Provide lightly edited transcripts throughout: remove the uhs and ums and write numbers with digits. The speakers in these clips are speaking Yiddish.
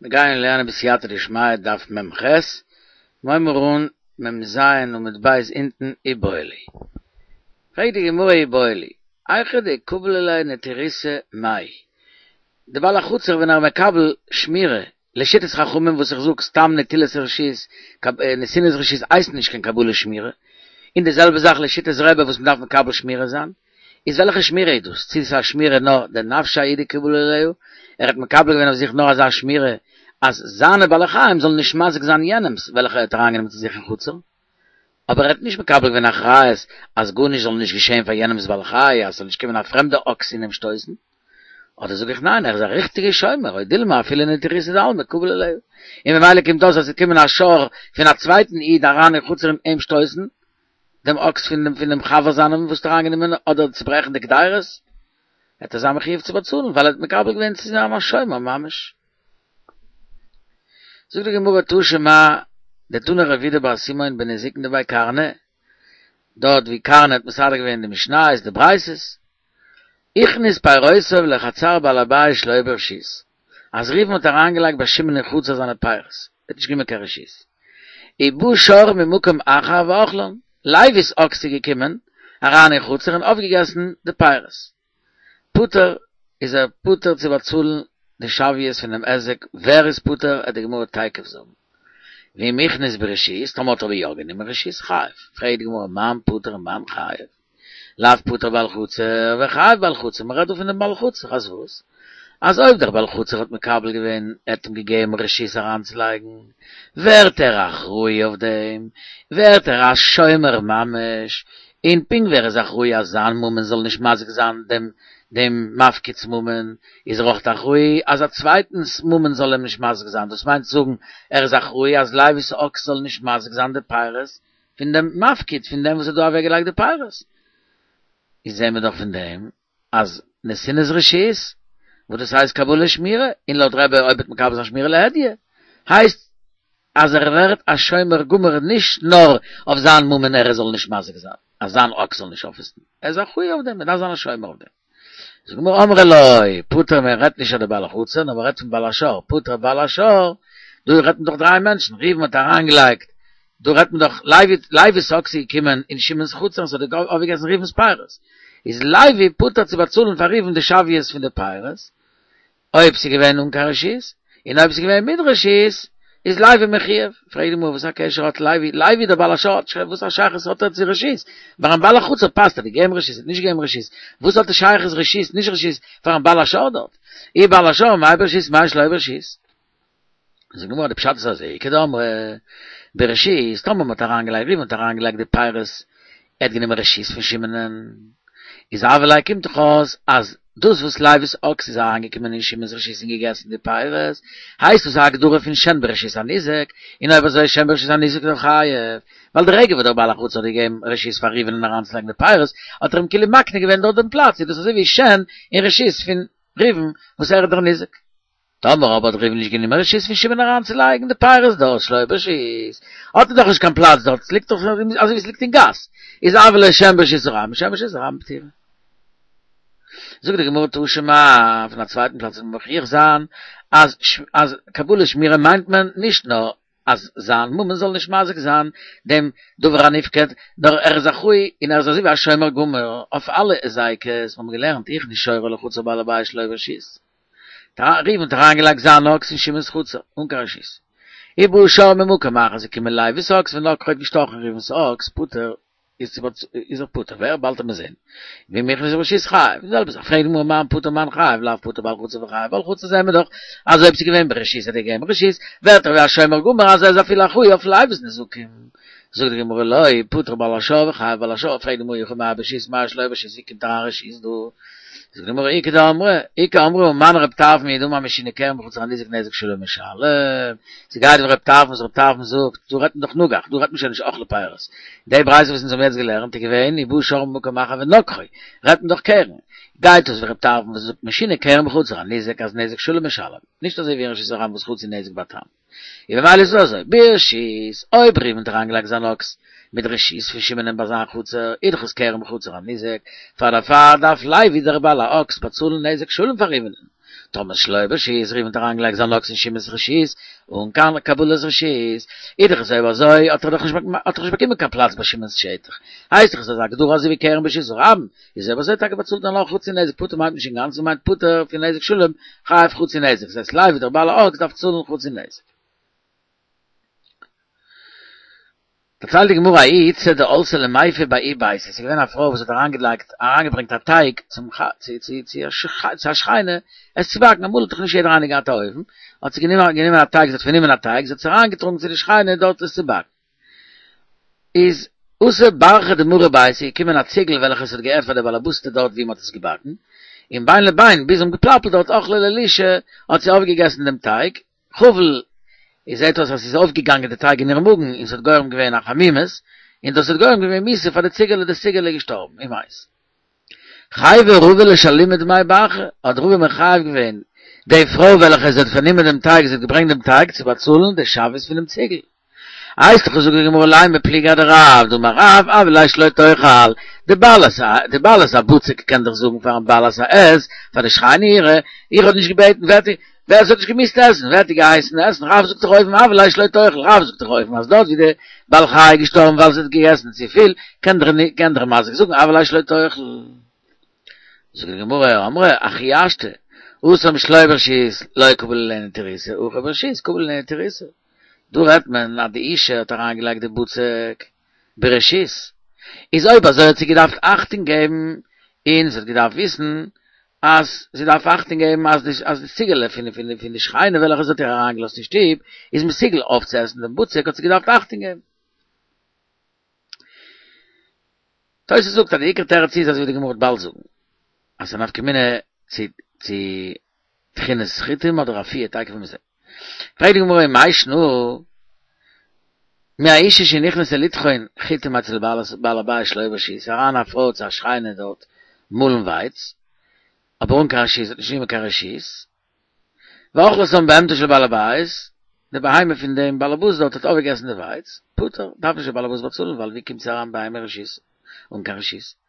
מיר גייען לערנען בסייעתא דשמיא דף מ ח, מ'הייבן אן מ ז עמוד ב' אונטן איבעיא להו. פרעגט די גמרא איבעיא להו, היכא דקביל עליה נטירותא מאי? די בעל החצר ווען ער מקבל שמירה לשיטת חכמים וואס איך זאג סתם נטילת רשות, נתינת רשות הייסט נישט קיין קבלת שמירה, און די זעלבע זאך לשיטת רבי וואס מ'דארף מקבל שמירה זיין, איז וועלכע שמירה איז דאס? צו ס'איז א שמירה נאר דנפשיה הוא דקביל עליה, ער האט מקבל געווען אויף זיך נאר אזא שמירה אז זיינע בעלי חיים זאלן נישט מזיק זיין יענעמ'ס וועלכע ער האט אריינגענומען צו זיך אין חצר, אבער ער האט נישט מקבל געווען אחריות אז גארנישט זאל נישט געשען פאר יענעמ'ס בעל חי, אז ס'זאל נישט קומען א פרעמדע אקס און אים שטויסן. אדער זאג איך ניין ער איז א ריכטיגע שומר, או דילמא אפילו נטירותא דעלמא קביל עליה, און ממילא קומט אויס אז ס'וועט קומען א שור פון א צווייטן איד אריין אין חצר און אים שטויסן, דעם אקס פון דעם פון דעם חבר זיינעם וואס האט אריינגענומען אדער צוברעכן די קדירות, וועט ער זיין מחויב צו באצאלן ווייל ער האט מקבל געווען צו זיין א שומר ממש. זאגט די גמרא תא שמע דתני רב יהודה בר סימון בנזיקין דבי קרנא, דארט ווי קרנא האט מסדר געווען די משניות די ברייתות, הכניס פירותיו לחצר בעל הבית שלא ברשות, אז ראובן האט אריינגעלייגט ביי שמעון אין חצר זיינע פירות, ער האט נישט גענומען קיין רשות, ובא שור ממקום אחר ואכלן, לוי'ס אקס איז געקומען אריין אין חצר און אויפגעגעסן די פירות. פטור איז ער פטור צו באצאלן די שוויות פונעם היזק, ווער איז פטור עט די גמרא תיכף זאגן, ואם הכניס ברשות, טאמער האט ער אבער יא גענומען רשות, חייב, פרעגט די גמרא מאן פטור ומאן חייב? לאו פטור בעל חצר וחייב בעל חצר, מען רעדט דא פון דעם בעל חצר, אז וואס? אז אויב דער בעל חצר האט מקבל געווען, ער האט אים געגעבן רשות אריינצולייגן, ווערט ער אחראי אויף דעם, ווערט ער א שומר ממש, און פונקט ווי ער איז אחראי אז זיין ממון זאל נישט מזיק זיין דעם דעם מפקיד'ס ממון, איז ער אויך אחראי אז א צווייטנ'ס ממון זאל אים נישט מזיק זיין, דאס מיינט צו זאגן, ער איז אחראי אז לוי'ס אקס זאל נישט מזיק זיין די פירות פון דעם מפקיד, פון דעם וואס האט דא אוועקגעלייגט די פירות. איז זעהן מיר דאך פון דעם אז נתינת רשות, וואס דאס הייסט קבלת שמירה, און לויט רבי אויב וועט מקבל זיין שמירה להדיא, הייסט אז ער ווערט א שומר גמור נישט נאר אויף זיין ממון ער זאל נישט מזיק זיין, אז זיין אקס זאל נישט אויפעסן, ער איז אחראי אויף דעם, ער דארף זיין א שומר אויף דעם. זאגט די גמרא אמרי לא, פטור מען רעדט נישט אויף די בעל החצר נאר מען רעדט פון בעל השור, פטור בעל השור, דא רעדט מען דאך דריי מענטשן, ראובן האט אריינגעלייגט, דא רעדט מען דאך לוי, לוי'ס אקס איז געקומען אין שמעון'ס חצר און ס'האט אויפגעגעסן ראובן'ס פירות, איז לוי פטור צו באצאלן פאר ראובן די שוויות פון די פירות, אויב ס'איז געווען אן קיין רשות, און אויב ס'איז געווען מיט רשות, איז לוי מחויב. פרעגט די גמרא וואס א קשר האט לוי, לוי דער בעל השור האט נישט וואס א שייכות האט ער צו רשות? פארן בעל החצר פאסט ער האט געגעבן רשות האט נישט געגעבן רשות, וואס האט די שייכות רשות נישט רשות פארן בעל השור דארט? אי בעל השור מאי ברשות מאי שלא ברשות? זאגט די גמרא די פשט איז אזוי, איכא דאמרי ברשות, טאמער מ'האט אריינגעלייגט ראובן האט אריינגעלייגט די פירות, ער האט גענומען רשות פון שמעונ'ען, איז הוה ליה קומט דאך אויס אז דאס וואס לוי'ס אקס איז אריינגעקומען אין שמעון'ס רשות און געגעסן די פירות, הייסט דאס א הגדרה פון שן ברשות הניזק, און אויב אזוי שן ברשות הניזק איז דאך חייב, ווייל די רגע וואס דער בעל החצר האט געגעבן רשות פאר ראובן'ען אריינצולייגן די פירות, האט ער אים כאילו מקנה געווען דארט דעם פלאץ, איז דאס אזוי ווי שן אין רשות פון ראובן וואס ער איז דער ניזק. טאמער אבער האט ראובן נישט גענומען רשות פון שמעון אריינצולייגן די פירות דארט שלא ברשות, האט ער דאך נישט קיין פלאץ דארט, ס'ליגט דאך אזוי ווי ס'ליגט אין גאס, איז הוה ליה שן ברשות הרבים, שן ברשות הרבים פטורה. זאגט די גמרא תא שמע, פון א צווייטן פלאץ וועט מען מוכיח זיין אז אז קבלת שמירה מיינט מען נישט נאר אז זיין ממון זאל נישט מזיק זיין דעם דבר הנפקד, נאר ער איז אחראי און ער איז אזוי ווי א שומר גמור אויף אלע היזקות, מיר האבן געלערנט הכניס שורו לחצר בעל הבית שלא ברשות. ראובן האט אריינגעלייגט זיין אקס אין שמעון'ס חצר, אן קיין רשות. ובא שור ממקום אחר איז געקומען לוי'ס אקס ונגחו האט געשטאכן ראובן'ס אקס, פטור איז ער פטור, ווער? באלד וועט מען זען. ואם הכניס ברשות חייב, די זעלבע זאך, פרעגט די גמרא מאן פטור מאן חייב, לאו פטור בעל חצר וחייב בעל חצר זעהן מיר דאך אז אויב ס'איז געווען ברשות האט ער געגעבן רשות, ווערט ער ווי א שומר גמור אז ער איז אפילו אחראי אויף לוי'ס נזקים. זאגט די גמרא לא, פטור בעל השור וחייב בעל השור, פרעגט די גמרא אי הכי מאי ברשות מאי שלא ברשות, ווי קומט אריין רשות דא? זאגט די גמרא איכא דאמרי, איכא אמרי ומני רב טרפון היא דאמר משונה קרן בחצר הניזק נזק שלם משלם, ס'גייט ווי רב טרפון וואס רב טרפון זאגט, דא רעדט מען דאך נגח, דא רעדט מען שוין נישט אכלה פירות, די ברייתא וואס אונז האבן יעצט געלערנט איז געווען ובא שור ממקום אחר ונגחו, רעדט מען דאך קרן, גייט דאס ווי רב טרפון וואס זאגט משונה קרן בחצר הניזק אז נזק שלם משלם, נישט אזוי ווי אין רשות הרבים וואס חצי נזק בתם. און ממילא איז עס אזוי, ברשות, אויב ראובן האט אריינגעלייגט זיין אקס. מיט רשות פון שמעונ'ען ביי זיין חצר, איז דאך עס כרם בחצר הניזק, פאר דערפאר דארף לוי דער בעל האקס באצאלן נזק שלם פאר ראובן'ען. טאמער שלא ברשות, ראובן האט אריינגעלייגט זיין אקס אין שמעון'ס רשות אן קיין קבלת רשות, איז דאך עס אויב אזוי האט ער דאך נישט האט ער נישט באקומען קיין פלאץ ביי שמעון'ס שטח, הייסט דאך עס אזא הגדרה אזוי ווי כרם ברשות הרבים, איז אויב אזוי טאקע באצאלט ער נאר חצי נזק פטור מיינט נישט אינגאנצן מיינט פטור פון נזק שלם חייב חצי נזק, דאס הייסט לוי דער בעל האקס דארף צאלן חצי נזק. דערציילט די גמרא ההיא איתתא דעלתה למיפה בההוא ביתא, עס איז געווען א פרוי וואס האט אריינגעלייגט אריינגעברענגט א טייג צום צו צו צו א שכנה עס צו באקן, אמאל האט דאך נישט יעדער איינער געהאט א אויוון, האט זי גענומען גענומען א טייג, זי האט פארנומען א טייג, זי האט עס אריינגעטראגן צו די שכנה דארט עס צו באקן. איז אתא ברחא דמרא ביתא איז געקומען א ציגל וועלכע עס האט געהערט פאר די באלעבאסטע דארט ווי מען האט עס געבאקן, און בין לבין ביז זיי האבן געפלאפלט דארט אכלה ליה לישא האט זי אויפגעגעסן דעם טייג, חבל, עס זעט אויס אז ס'איז אויפגעגאנגען די טייג אין איר מאגן און ס'האט גורם געווען א חמימות, און דאס האט גורם געווען מיתה פאר די ציגעלע, די ציגעלע איז געשטארבן, ומת. חייביה רבא לשלומי דמי ברחא, האט רבא מחייב געווען די פרוי וועלכע זי האט פארנומען דעם טייג, זי האט געברענגט דעם טייג צו באצאלן די שוויות פונעם ציגל. הייסט דאך זאגט די גמרא לימא פליגא אדרב דאמר רב אויא לה שלא תאכל, די בעלת די בעלת הבצק קען דאך זאגן פארן בעלת העז, פאר די שכנה אירע, איך האב נישט געבעטן ווער ווער עס האט נישט געמוזט עסן, ווער האט דיר געהייסן עסן, רב זאגט דאך אויבן אויא לה שלא תאכל, רב זאגט דאך אויבן אז דארט ווי די בעל חי איז געשטארבן ווייל זי האט געגעסן צופיל, קען דער קען דער מזיק זאגן אויא לה שלא תאכל. זאגט די גמרא, אמרי, הכי השתא, התם שלא ברשות לא קביל עליה נטירותא, הכא ברשות קביל עליה נטירותא. דא רעדט מען אז די אישה האט אריינגעלייגט די בצק ברשות, איז אויב אזוי האט זי געדארפט אכטונג געבן און זי האט געדארפט וויסן אז זי דארף אכטונג געבן אז די אז די ציגעלע פון פון פון די שכנה וועלכע זי האט איר אריינגעלאזט אין שטוב איז מסוגל אויפצועסן דעם בצק האט זי געדארפט אכטונג געבן. תוס' זאגט אז די עיקר תירוץ איז אזוי ווי די גמרא וועט באלד זאגן אז ס'איז א נפקא מינה צו צו טחינת חיטים אדער אפיה תיכף וועט מען זען. פרעגט די גמרא ומאי שנא מהאשה שנכנסה לטחון חיטים אצל בעל הבית שלא ברשות, אריין א פרוי צו א שכנה דארט מאלן ווייץ, אבער אן קיין רשות, האט נישט גענומען קיין רשות, ואכלתם בהמתו של בעל הבית, די בהמה פון דעם באלעבאס דארט האט אויפגעגעסן די ווייץ, פטור, דארף נישט דער באלעבאס באצאלן ווייל ווי קומט זי אריין בהמה רשות אן קיין רשות?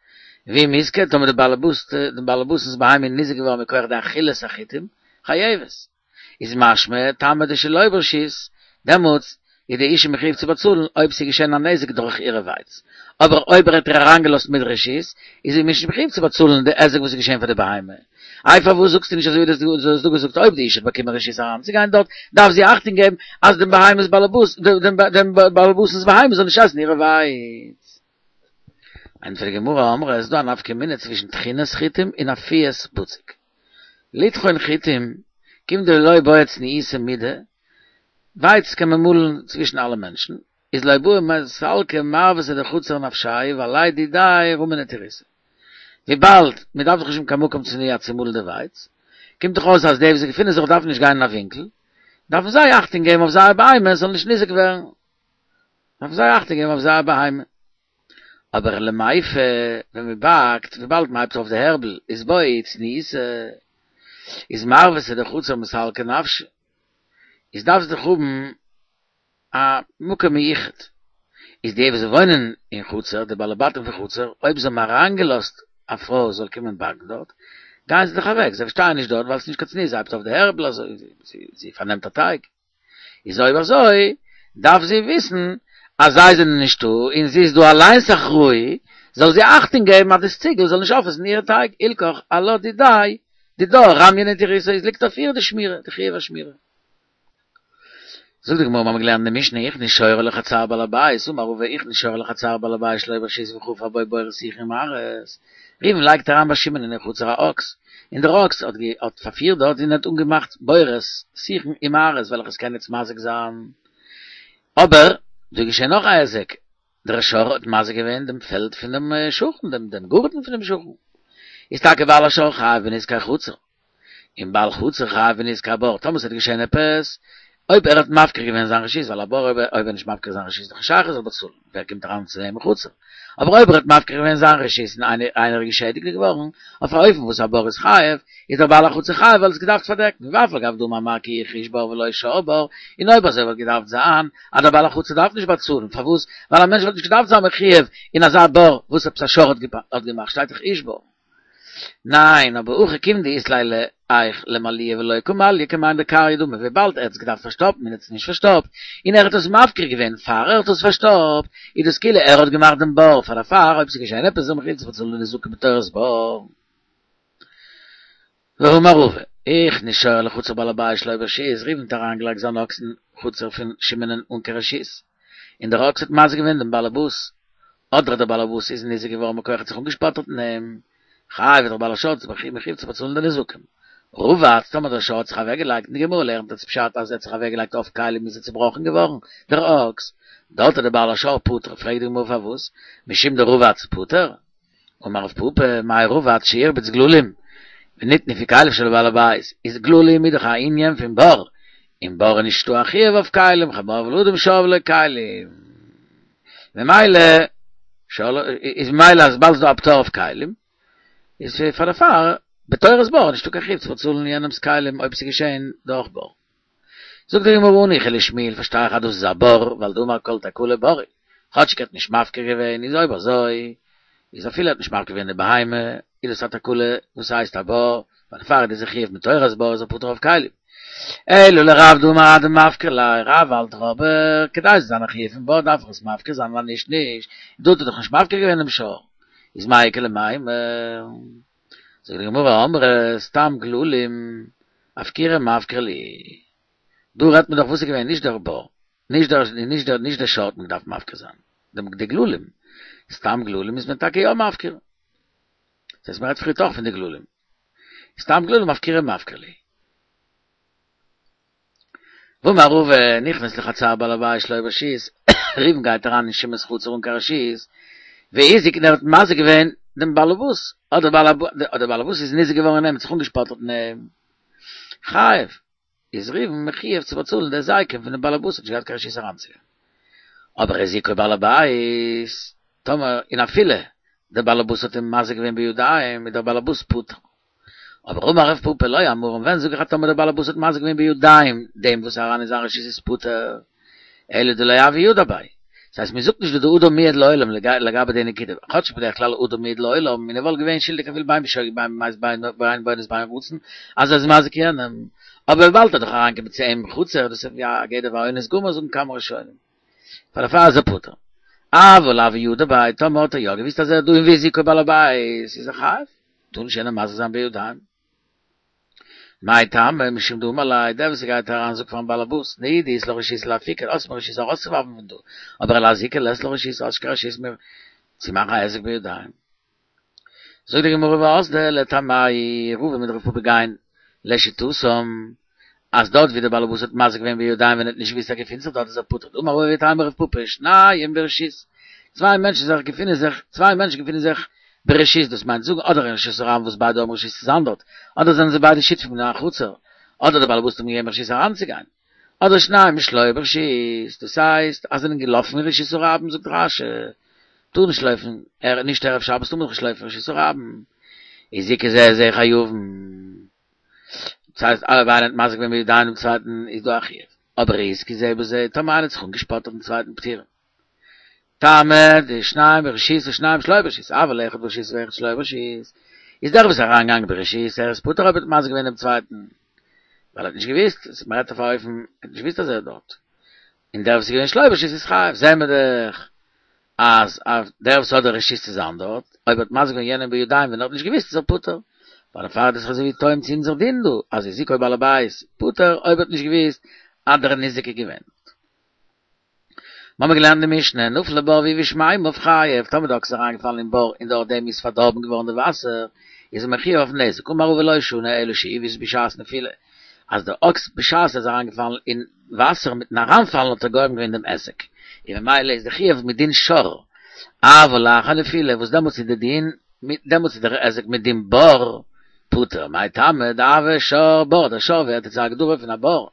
ואם הזיקה, טאמער די באלעבאס, דעם באלעבאס'נס בהמה איז ניזוק געווארן מכח די אכילת החיטים, חייבת. איז משמע, טעמא דשלא ברשות, דעמאלטס איז די אישה מחויב צו באצאלן אויב ס'איז געשען א נזק דורך אירע ווייץ. אבער אויב ער האט איר אריינגעלאזט מיט רשות, איז זי נישט מחויב צו באצאלן די היזק וואס איז געשען פאר די בהמה. איי פארוואס זאגסטו נישט אזוי ווי דו האסט דא געזאגט אויב די אישה האט באקומען רשות אריינצוגיין דארט, דארף זי אכטונג געבן אז דעם בהמה'ס באלעבאס, דעם באלעבאס'נס בהמה זאל נישט עסן אירע ווייץ. ענטפערט די גמרא, אמרי עס איז דא א נפקא מינה צווישן טחינת חיטים און אפיית בצק. לטחון חיטים כיון דלא בעי צניעותא מידי, ווייץ קען מען מאלן צווישן אלע מענטשן, איז לא בעי מסלקא מרוותא דחצר נפשייהו ועליה דידיה רמי נטירותא. וויבאלד מען דארף דאך נישט האבן קיין מקום צנוע צו מאלן די ווייץ, קומט דאך אויס אז די וואס געפינען זיך דארפן נישט גיין אין א ווינקל, דארפן זיי אכטונג געבן אויף זייער בהמה עס זאל נישט ניזוק ווערן. דארפן זיי אכטונג געבן אויף זייער בהמה. אבער למיפה, ווען מען באקט, וויבאלד מען הייבט אויף די הערבל, איז בעי צניעותא, איז מרוותא דחצר מסלקא נפשיה, איז דארף זי דאך האבן א מקום מיוחד, איז די וואס וואוינען אין חצר, די בעלי בתים פון חצר, אויב זיי האבן אריינגעלאזט א פרוי זאל קומען באקן דארט, גייען זיי דאך אוועק, זיי שטייען נישט דארט ווייל ס'איז נישט קיין צניעות, זי הייבט אויף די הערבל אזוי, זי פארנעמט א טייג. איז אויב אזוי דארף זי וויסן אז זיי זענען נישטא און זי איז דא אליינס אחראי, זאל זי אכטונג געבן אז דאס ציגל זאל נישט אויפעסן אירע טייג, הילכך עלה דידיה דידה רמיא נטירותא איז ליגט אויף איר די שמירה, די חיוב השמירה. זאגט די גמרא מ'האמיר געלערנט אין די משנה הכניס שורו לחצר בעל הבית, אמר רבא הכניס שורו לחצר בעל הבית שלא ברשות וחפר בו בורות שיחין ומערות, ראובן לייגט אריין ביי שמעון אין חצר א אקס, און דער אקס האט האט פארפירט דארט און האט אנגעמאכט בורות, שיחין און מערות וועלכע עס קען יעצט מזיק זיין. אבער דא איז געשען נאך א היזק, דער שור האט מזיק געווען דעם פעלד פון דעם שכן, דעם דעם גארטן פון דעם שכן. איז טאקע בעל השור חייב בנזקי חצר, און בעל חצר חייב בנזקי הבור, טאמער ס'וועט געשען עפעס. אויב ער האט מפקיר געווען זיין רשות, ווייל א בור אויב ער איז נישט מפקיר זיין רשות איז דאך נישט שייך ער זאל באצאלן, ווער קומט אריין צו אים אין חצר? אבער אויב ער האט מפקיר געווען זיין רשות און איינער איז געשעדיגט געווארן, אויף א אופן וואס א בור איז חייב, איז דער בעל החצר חייב ווייל ער האט עס געדארפט פארדעקן, ואף על גב דאמר מר כי החריש בור ולא שור בור, און אויב אזוי וואלט געדארפט זיין אז דער בעל החצר דארף נישט באצאלן, פארוואס? ווייל א מענטש וואלט נישט געדארפט זיין מחויב אין אזא בור וואס עפעס א שור האט געמאכט, שטייט דאך איש בור. ניין, אבער הכא כיון דאית ליה לאיך למלויי ולא קא מלי כמאן דכרעיה דמי, וויבאלד ער האט עס געדארפט פארשטאפן און ער האט עס נישט פארשטאפט, און ער האט עס מפקיר געווען פאר ער האט עס פארשטאפט, איז דאס כאילו ער האט געמאכט דעם בור, פאר דערפאר אויב ס'איז געשען עפעס איז ער מחויב צו באצאלן די נזקים בתורת בור. והאמר רבא, הכניס שור לחצר בעל הבית שלא ברשות, ראובן האט אריינגעלייגט זיין אקס אין חצר פון שמעונ'ען אן קיין רשות, און דער אקס האט מזיק געווען דעם בעל הבית, אדער דער בעל הבית איז ניזוק געווארן מכח האט זיך אנגעשפאטערט אין אים, חייב איז דער בעל השור מחויב צו באצאלן די נזקים. רבץ, טאמער דער שור האט זיך אוועקגעלייגט, און די גמרא לערנט אלס פשט אז ער האט זיך אוועקגעלייגט אויף כלים איז ער צובראכן געווארן, דער אקס, דארט איז דער בעל השור פטור, פרעגט די גמרא פארוואס, משום דרבץ פטור? אמר רב פפא, מאי רבץ שהרביץ גללים, ונטנפו כליו של בעל הבית, איז גללים איז דאך א ענין פון בור, און בור איז נישטא א חיוב אויף כלים, חמור ולאדם שור ולא כלים. ממילא, איז ממילא אז באלד איז דא א פטור אויף כלים, איז פאר דערפאר, בתורת בור איז נישטא קיין חיוב צו באצאלן יענעמ'ס כלים אויב ס'איז געשען דורך בור. זאגט די גמרא הניחא לשמואל פארשטיי איך אז דאס איז א בור ווייל דאמר כל תקלה בור היא, כאטשיג ער האט נישט מפקיר געווען איז אויב אזוי איז אפילו ער האט נישט מפקיר געווען די בהמה איז דאס א תקלה וואס הייסט א בור ווייל דערפאר איז דאס א חיוב מתורת בור איז ער פטור אויף כלים. אלא לרב דאמר אדמפקיר ליה רב האלט דאך אבער כדי ס'זאל זיין א חיוב פון בור דארף איך עס מפקיר זיין ווייל נישט נישט דא האט ער דאך נישט מפקיר געווען דעם שור איז מאי איכא למימר. זאגט די גמרא אמרי סתם גללים אפקורי מפקרי להו דא רעדט מען דאך וואס איז געווען נישט דער בור נישט דער נישט דער נישט דער שור האט מען געדארפט מפקיר זיין דעם די גללים סתם גללים איז מען טאקע יא מפקיר דאס הייסט מען רעדט פריערט אויך פון די גללים סתם גללים אפקורי מפקרי להו ואמר רבא נכנס לחצר בעל הבית שלא ברשות, ראובן גייט אריין אין שמעון'ס חצר אן קיין רשות, והזיק און ער האט מזיק געווען דעם בעלעבאס, אדער דער בעלעבאס איז ניזוק געווארן אין אים, האט זיך אנגעשפאטערט אין אים, חייב, איז ראובן מחויב צו באצאלן די היזקים פונעם בעלעבאס האט נישט געהאט קיין רשות אריינצוגיין. אבער הזיקו בעל הבית, טאמער און אפילו דער בעלעבאס האט אים מזיק געווען בידיים, איז דער בעלעבאס פטור. אבער אמר רב פפא לא אמרן ווען זאג איך אז טאמער דער בעל הבית האט מזיק געווען בידיים דעם וואס איז אריין אין זיין רשות איז פטור אלא דלא הוה ידע ביה דאס הייסט מען זאגט נישט דא דאדם מועד לעולם לגבי די נקודה כאטש בדרך כלל אדם מועד לעולם און ער וואלט געווען שולדיג אפילו בין בשוגג בין במזיד בין באונס בין ברצון אז ער איז מזיק יענעם אבער וויבאלד ער האט דאך אריינגעקומען צו אים אין חצר דאס איז ווי א גדר והאונס גמור זאגן כמה ראשונים פאר דערפאר איז ער פטור אבל הוה ידע ביה טאמער האט ער יא געוויסט אז ער איז דא און והזיקו בעל הבית איז ער חייב. טאר נישט יענעם מזיק זיין בידיים. מאי טעמא משום דאמר ליה, דער וואס גייט אריין זאגט פארן באלעבאס, נהי דאית לך רשות לאפוקי, האסט מיר רשות ארויסצואווארפן פון דא, אבער לאזוקי לית לך רשות, האסט נישט קיין רשות מיר צו מאכן א היזק בידיים. זאגט די גמרא ואזדו לטעמייהו, רבא מיט רב פפא גייען לשיטתם, אז דארט ווי דער באלעבאס האט מזיק געווען בידיים ווען ער האט נישט געוואוסט אז ער געפינט זיך דארט איז ער פטור, דאמר רבא ואיתימא רב פפא, שניים ברשות, צוויי מענטשן זיך געפינען זיך, צוויי מענטשן געפינען זיך ברשות, דאס מיינט זאגן אדער אין רשות הרבים וואס ביידע האבן רשות צו זיין דארט, אדער זענען זיי ביידע שותפים אין א חצר, אדער דער באלעבאס האט אים געגעבן רשות אריינצוגיין, אדער שניים שלא ברשות, דאס הייסט אז זיי זענען געלאפן אין רשות הרבים זאגט רש"י, טאר נישט לויפן, נישט ערב שבת טאר מען דאך נישט לויפן אין רשות הרבים, הזיקו זה את זה חייבין. דאס הייסט אויב איינער האט מזיק געווען בידיים דעם צווייטן איז דא א חיוב, אבער התזיקו זה בזה, טאמער איינער האט זיך אנגעשפארט אויפן צווייטן פטורין. טעמא דשניים ברשות ושניים שלא ברשות, אבל אחד ברשות ואחד שלא ברשות, איז דער וואס איז אריינגעגאנגען ברשות ער איז פטור אויב ער האט מזיק געווען דעם צווייטן, ווייל ער האט נישט געוואוסט, מען רעדט אויף א אופן, ער האט נישט געוואוסט אז ער איז דארט, און דער וואס איז געווען שלא ברשות איז חייב, זעהן מיר דאך אז דער וואס האט די רשות צו זיין דארט, אויב האט מזיק געווען יענעם בידיים ווען ער האט נישט געוואוסט איז ער פטור. ווייל דערפאר איז דאס אזוי ווי תואם צו אונזער דין דא, אז הזיקו בעל הבית פטור אויב האט נישט געוואוסט אז דער ניזק איז געווען דארט. מ'האמיר געלערנט די משנה, נפל לבור והבאיש מימיו חייב, טאמער די אקס איז אריינגעפאלן אין בור און דורך דעם איז פארדארבן געווארן די וואסער, איז ער מחויב אויפן נזק, אמר רבא לא שנו אלא שהבאיש בשעת נפילה, אז דער אקס בשעת ער איז אריינגעפאלן אין וואסער מיטן אריינפאלן האט ער גורם געווען דעם היזק, און ממילא איז די חיוב מדין שור, אבל לאחר נפילה וואס דעמאלטס איז די דין, דעמאלטס איז דער היזק מדין בור פטור, מאי טעמא דהוי שור בור, דער שור ווערט יעצט א הגדרה פון א בור.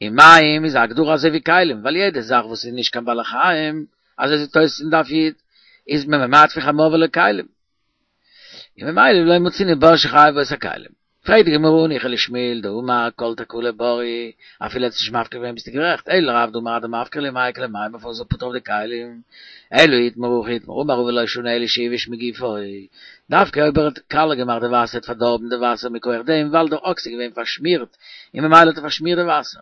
און מים איז א הגדרה אזוי ווי כלים, ווייל יעדע זאך וואס איז נישט קיין בעלי חיים, אזוי זאגט תוס' אין דף י', איז מען ממעט פון חמור ולא כלים. און ממילא לא מצינו בור שחייב בו את הכלים. פרעגט די גמרא הניחא לשמואל דאמר כל תקלה ברי, אפילו האט עס נישט מפקיר געווען ביסטו גערעכט, אלא לרב דאמר אדמפקיר להו מאי איכא למימר פארוואס איז ער פטור אויף די כלים, אלא אי איתמר הכי איתמר אמר רבא לא שנו אלא שהבאיש מגופו, דווקא אויב ער האט קאלע געמאכט די וואסער האט פארדארבן די וואסער מכח דעם ווייל דער אקס איז געווען פארשמירט און ממילא האט ער פארשמירט די וואסער.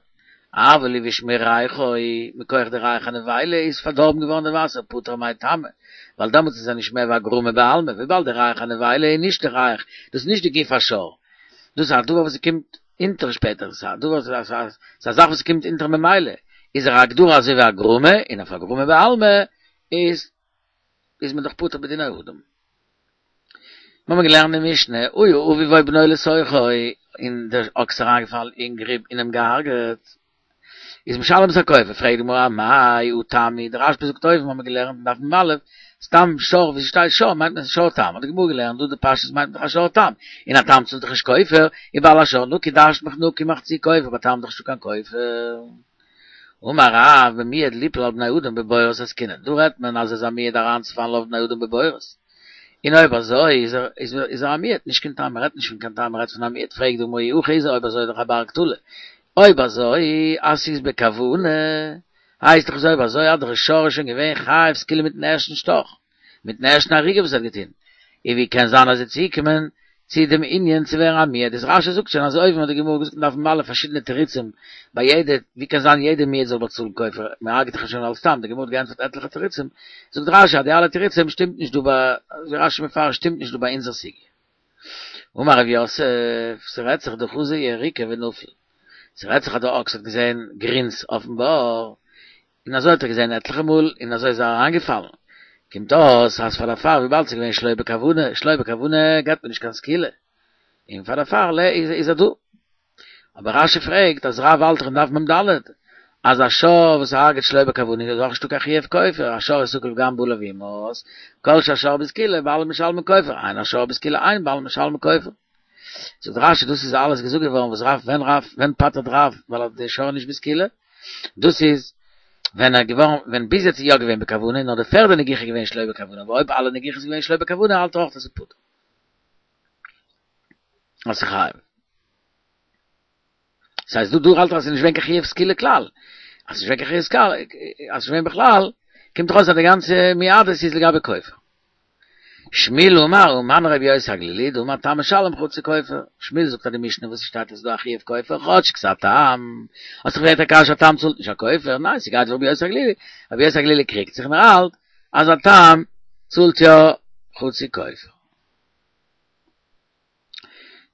אבל הבאיש מריחו, מכח די ריח הנבילה איז פארדארבן געווארן די וואסער פטור מאי טעמא, ווייל דעמאלטס איז ער נישט מער ווי א גרמא בעלמא, וויבאלד די ריח הנבילה איז נישט די ריח, דאס איז נישט די גוף השור, דאס איז א דבר וואס קומט אונטער שפעטער, ס'איז א דבר, ס'איז א זאך וואס קומט אונטער ממילא, איז ער א הגדרה אזוי ווי א גרמא, און אויף א גרמא בעלמא איז איז מען דאך פטור בדיני אדם. מיר האבן געלערנט אין משנה, היה אביו או בנו לתוכו, און דער אקס איז אריינגעפאלן אין גריב און אים געהארגעט, איז משלם את הכופר, פרעגט די גמרא אמאי הא תם הוא, דער רשב"א זאגט אויבן האבן מיר געלערנט אין דף מ"א, סתם שור ווי ס'שטייט שור מיינט מען שור תם, האט די גמרא געלערנט דא די פשטות מיינט מען דאך א שור תם, און א תם צאלט דאך נישט כופר, ובעל השור נקי דרש'נט מען נקי מחצי כופר, ביי תם איז דאך נישטא קיין כופר. אמר רב במועד ליפול על בני אדם בבורות עסקינן, דא רעדט מען אז ער איז א מועד אריינצופאלן אויף בני אדם בבורות, און אויב אזוי איז ער איז ער א מועד, נישט קיין תם, מ'רעדט נישט פון קיין תם מ'רעדט פון א מועד, פרעגט די גמרא אי הכי איז ער אויב אזוי איז דאך א בר קטלא, אויב אזוי אז ס'איז בכוונה, הייסט דאך אז אויב אזוי אז דער שור איז שוין געווען חייב סקילה מיטן ערשטן שטאך, מיטן ערשטן הריגה וואס ער האט געטון, און ווי קען זיין אז ער איז צוגעקומען צו דעם ענין צו ווערן א מועד, איז רש"י זאגט שוין אז אויבן האט די גמרא געזאגט אין דף מ"א פארשידענע תירוצים ביי יעדע, ווי קען זיין יעדע מועד זאל באצאלן כופר, מען הרג'ט דאך שוין אלס תם, די גמרא האט געענטפערט עטליכע תירוצים, זאגט רש"י אז די אלע תירוצים שטימט נישט דא ביי, ווי רש"י מפרש שטימט נישט דא ביי אונזער סוגיא. אמר רב יוסף, ס'רעדט זיך דחזא יריקה ונפל, ס'רעדט זיך אז דער אקס האט געזען גרינס אויפן בור, און אזוי האט ער געזען עטליכע מאל, און אזוי איז ער אריינגעפאלן. קומט אויס אז פאר דערפאר וויבאלד ס'איז געווען שלא בכוונה, שלא בכוונה געבט מען נישט קיין סקילה, און פאר דערפאר איז ער דא. אבער רש"י פרעגט אז רב האלט דאך אין דף מ"ד אז א שור וואס הרג'ט שלא בכוונה איז אויך נישטא קיין חיוב כופר, השור יסקל וגם בעליו יומת, כל שהשור בסקילה בעלים משלמין כופר, אין השור בסקילה אין בעלים משלמין כופר. זאגט רש"י דאס איז אלעס געזאגט געווארן וואס רב ווען רב ווען פטר'ט רב ווייל די שור איז נישט בסקילה, דאס איז ווען ער געווארן ווען ביז יעצט איז יא געווען בכוונה נאר די פערדע נגיחה איז געווען שלא בכוונה אבער אויב אלע נגיחות איז געווען שלא בכוונה האלט ער אויך אז ס'איז פטור. אז ס'איז חייב. ס'הייסט דא דא האלט ער אז ס'איז נישט געווען קיין חיוב סקילה כלל. אז ס'איז נישט געווען קיין חיוב סקילה, אז ס'איז נישט געווען בכלל, קומט דאך אויס אז די גאנצע מועדות איז לגבי כופר. שמואל אמר, ומני רבי יוסי הגלילי, דאמר תם משלם חצי כופר. שמואל זאגט אז די משנה וואס ס'שטייט אז ס'איז דא א חיוב כופר, כאטש ס'איז א תם. האסט דאך געפרעגט א קשיא א תם צאלט נישט א כופר, ניין ס'גייט ווי רבי יוסי הגלילי. רבי יוסי הגלילי קריגט זיך און ער האלט אז א תם צאלט יא חצי כופר.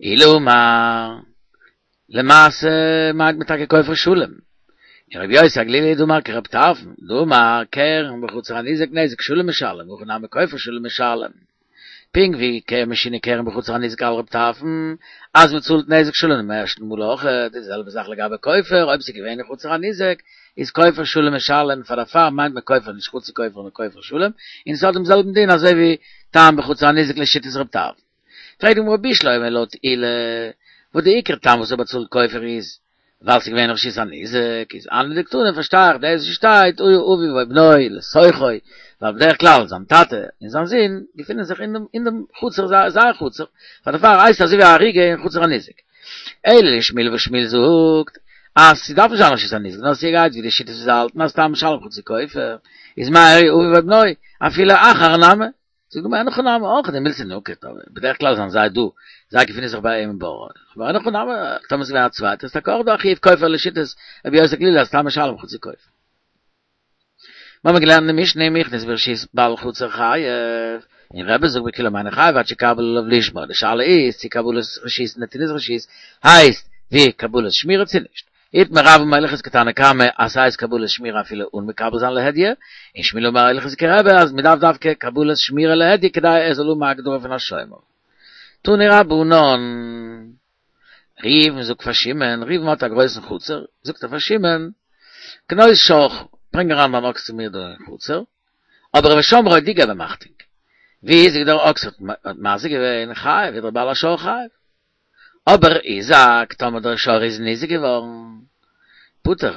עולא אמר, למעשה מיינט מען טאקע כופר שלם. און רבי יוסי הגלילי דאמר כרב טרפון, דאמר קרן בחצר הניזק נזק שלם משלם, הכא נמי כופר שלם משלם. פונקט ווי קרן משונה קרן בחצר הניזק על רב טרפון, אז מען צאלט נזק שלם דעם ערשטן מאל אויך, די זעלבע זאך לגבי כופר, אויב ס'איז געווען אין חצר הניזק, איז כופר שלם משלם, פאר דערפאר מיינט מען כופר נישט חצי כופר נאר כופר שלם, און ס'האט דעם זעלבן דין אזוי ווי תם בחצר הניזק לשיטת רב טרפון. פרעגט די גמרא בשלמא לויט עולא, וואס די עיקר טעם וואס ער באצאלט כופר איז ווייל ס'איז געווען רשות הניזק, איז הני דקתני פארשטיי איך דאס וואס שטייט היה אביו או בנו לתוכו, ווייל בדרך כלל זיין טאטע און זיין זון געפינען זיך אין דעם חצר זייער חצר, פאר דערפאר הייסט עס אזוי ווי א הריגה אין חצר הניזק. אלא לשמואל וואס שמואל זאגט אז ס'דארף נישט זיין רשות הניזק נאר ס'גייט ווי די שיטות וואס זיי האלטן אז תם משלם חצי כופר, איז מאי איריא אביו או בנו אפילו אחר נמי. זאגט די גמרא אין הכי נמי אויך דמילתא נקט אבער בדרך כלל זענען זיי דא זיי געפינען זיך ביי אים אין בור אבער אין הכי נמי טאמער ס'איז געווען א צווייטער איז טאקע אויך דא א חיוב כופר לשיטת רבי יוסי הגלילי אז תם משלם חצי כופר. מיר האבן געלערנט אין די משנה אם הכניס ברשות בעל חצר חייב, און רבי זאגט בכולם אינו חייב עד שיקבל עליו לשמור, די שאלה איז צו קבלת רשות נתינת רשות הייסט ווי קבלת שמירה צו נישט. איתמר רב אמר הלכתא כתנא קמא אז ס'הייסט קבלת שמירה אפילו אן מקבל זיין להדיא, און שמואל אמר הלכתא כרבי אז מ'דארף דווקא קבלת שמירה להדיא כדי ער זאל האבן א הגדרה פון א שומר. תנו רבנן. ראובן זאגט פאר שמעון, ראובן האט א גרויסן חצר, זאגט ער פאר שמעון, כנוס שורך, ברענג אריין דיין אקס צו מיר דא אין חצר, אבער ושמרו דו געב אים אכטונג. והזיק דער אקס האט מזיק געווען, חייב, איז דער בעל השור חייב. אבער הזיק, טאמער דער שור איז ניזוק געווארן, פטור,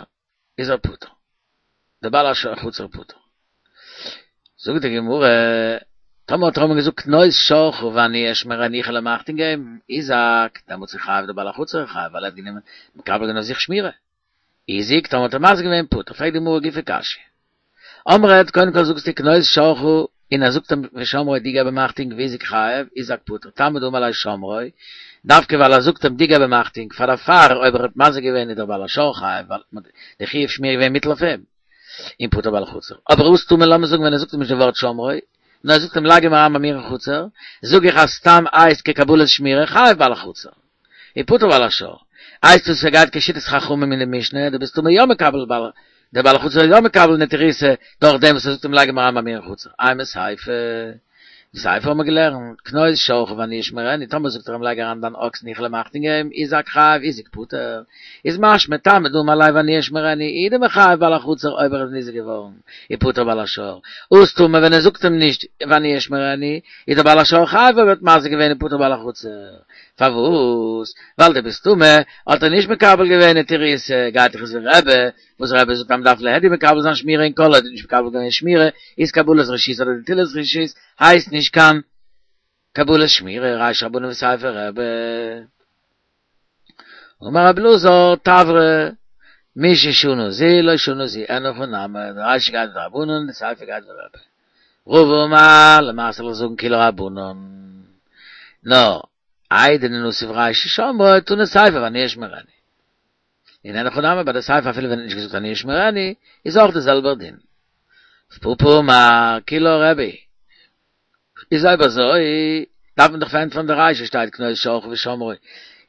איז ער פטור. דער בעל החצר פטור. זאגט די גמרא, טאמער האט ער אים געזאגט כנוס שורך ואני אשמרנו איך וועל אים אכטונג געבן, הזיק, דעמאלטס איז חייב דער בעל החצר חייב ווייל ער האט גענומען מקבל געווען אויף זיך שמירה. הזיק, טאמער האט ער מזיק געווען פטור. פרעגט די גמרא גופא קשיא. אמרת, קודם כל זאגסטו כנוס שורך און ער זאגט אים ושמרו דו געב אים אכטונג והזיק חייב, הזיק פטור, תלמוד לומר ליה שמרו, דווקא ווייל ער זאגט אים דו געב אים אכטונג, פאר דערפאר אויב ער האט מזיק געווען איז דער בעל השור חייב ווייל די חיוב שמירה געווען מוטל אויף אים, און פטור בעל החצר. אבער הא סתמא לאמיר זאגן ווען ער זאגט אים נישט די ווארט שמרו, נאר ער זאגט אים לייג אים אריין ביי מיר אין חצר, זאג איך אז סתם הייסט כקבלת שמירה חייב בעל החצר. און פטור בעל השור. הייסט עס ס'גייט כשיטת חכמים אין די משנה, דו ביסט מסתמא יא מקבל בעל, דער בעל החצר איז יא מקבל נטירותא דורך דעם וואס ער זאגט אים לייג אים אריין ביי מיר אין חצר. אימא סיפא. די סיפא האבן מיר געלערנט, כנוס שורך ואני אשמרנו, טאמער זאגט ער אים לייג אריין דיין אקס און איך וועל אים אכטונג געבן, הזיק חייב, הזיק פטור. איז משמע תלמוד לומר ליה ואני אשמרנו, הוא דמחייב בעל החצר אויב ער איז ניזוק געווארן, ופטור בעל השור. הא סתמא ווען ער זאגט אים נישט ואני אשמרנו, איז דער בעל השור חייב אויב ער האט מזיק געווען ופטור בעל החצר. פארוואס? ווייל דבסתמא האט ער נישט מקבל געווען נטירותא, גייט דאך אזוי ווי רבי, וואס רבי זאגט אז מ'דארף להדיא מקבל זיין שמירה און כל עוד האט נישט מקבל געווען שמירה איז קבלת רשות אדער נטילת רשות הייסט נישט קיין קבלת שמירה, רישא רבנן וסיפא רבי. אמר רבי אלעזר תברא מששנה זו לא שנה זו אין הכי נמי, די רישא גייט ווי רבנן די סיפא גייט ווי רבי. רבא אמר, למעשה זאל איך זאגן כולה רבנן. נאר, איידי דנסיב רישא שמרו, תנא סיפא ואני אשמרנו. און אין הכי נמי ביי די סיפא אפילו ווען ער האט נישט געזאגט ואני אשמרנו, איז אויך די זעלבער דין. רב פפא אמר, כולה רבי. איז אויב אזוי, דארף מען דאך פארענטפערן די רישא שטייט כנוס שורך ושמרו,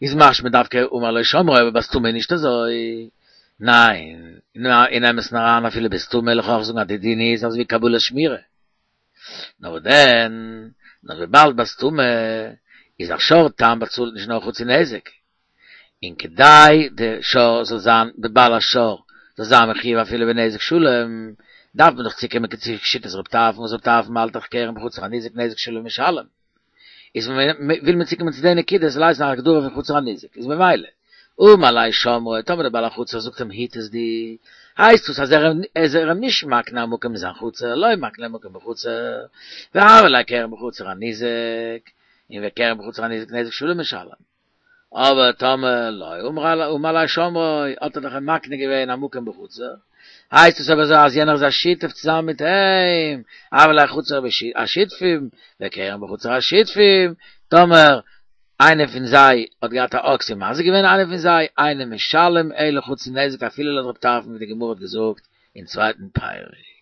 איז משמע דווקא אמר לו שמרו אבער בסתמא איז נישט אזוי. ניין, אין אמת'ן אריין אפילו בסתמא וועל איך אויך זאגן אז די דין איז אזויווי קבלת שמירה. נאר וואס דען, נאר וויבאלד בסתמא איז א שור תם באצאלט נישט נאר חצי נזק, און כדי די שור זאל זיין די בעל השור זאל זיין מחויב אפילו בנזק שלם, דארף מען דאך צוקומען צו שיטת רב טרפון וואס רב טרפון האלט דאך קרן בחצר הניזק נזק שלם משלם. איז וויל מען צוקומען צו די נקודה זאל הייסן א הגדרה פון חצר הניזק איז ממילא אמר ליה שמרו טאמער די בעל החצר זאגט אים היט עס דו הייסט עס אז ער איז אים נישט מקנה א מקום אין זיין חצר לא מקנה מקום בחצר והוה ליה קרן בחצר הניזק און וקרן בחצר הניזק נזק שלם משלם. אבער טאמער לא אמר ליה שמרו, האט ער דאך אים מקנה געווען א מקום בחצר, הייסט עס אבער אזוי אז יענער איז א שותף צוזאמען מיט אים, הוה ליה חצר השותפים, וקרן בחצר השותפים, טאמער איינער פון זיי האט געהאט א אקס און מזיק געווען איינער פון זיי, אינו משלם אלא חצי נזק אפילו לויט רב טרפון ווי די גמרא האט געזאגט אין צווייטן פרק.